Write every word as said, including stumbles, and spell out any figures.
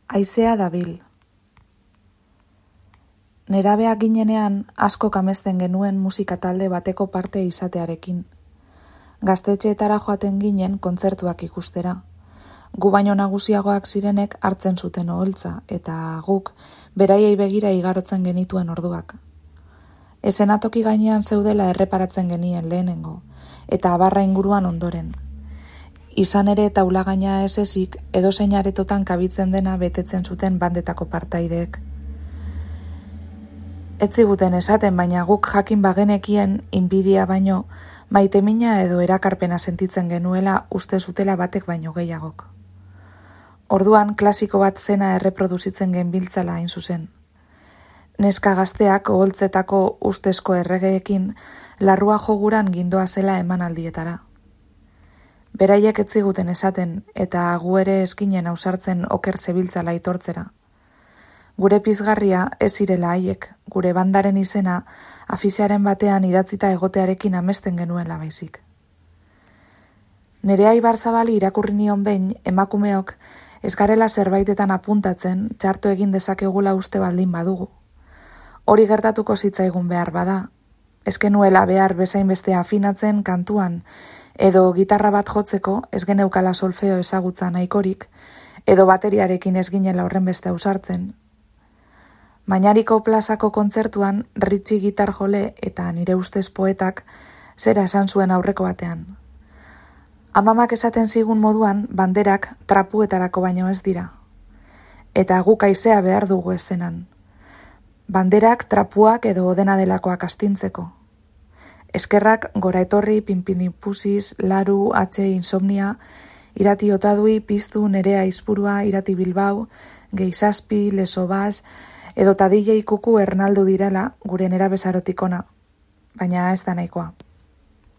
Haizea dabil. Nerabeak ginenean asko amesten genuen musika talde bateko parte izatearekin. Gaztetxeetara joaten ginen kontzertuak ikustera. Gu baino nagusiagoak zirenek hartzen zuten oholtza eta guk beraiei begira igarotzen genituen orduak. Esenatoki gainean zeudela erreparatzen genien lehenengo, eta abarra inguruan ondoren. Izan ere taulagaina ez ezik edozein aretotan kabitzen dena betetzen zuten bandetako partaideek. Ez ziguten esaten, baina guk jakin bagenekien inbidia baino maitemina edo erakarpena sentitzen genuela uste zutela batek baino gehiagok. Orduan klasiko bat zena erreproduzitzen genbiltzala hain zuzen. Neska gazteak oholtzetako ustezko erregeekin larrua joguran gindoa zela emanaldietara. Beraiek ez ziguten esaten eta gu ere eskinen ausartzen oker zebiltzala aitortzera. Gure pizgarria ez zirela haiek, gure bandaren izena afiziaren batean idatzita egotearekin amesten genuela baizik. Nerea Ibarzabali irakurri nion behin emakumeok ez garela zerbaitetan apuntatzen txarto egin dezakegula uste baldin badugu. Hori gertatuko zitzaigun behar bada, ez genuela behar bezain bestea afinatzen kantuan, edo gitarra bat jotzeko ez geneukala solfeo ezagutza nahikorik, edo bateriarekin ez ginela horren beste ausartzen. Mañariko plazako kontzertuan Ritxi gitar jole eta nire ustez poetak zera esan zuen aurreko batean. Amamak esaten zigun moduan banderak trapuetarako baino ez dira. Eta guk haizea behar dugu ezenan. Banderak trapuak edo dena delakoak astintzeko. Eskerrak gora etorri, pinpinipusiz, laru, atxe, insomnia, irati otadui, piztu, nerea izpurua, irati bilbau, geizazpi, lesobaz, edo tadile ikuku Ernaldu direla gure nera bezarotikona, baina ez da nahikoa.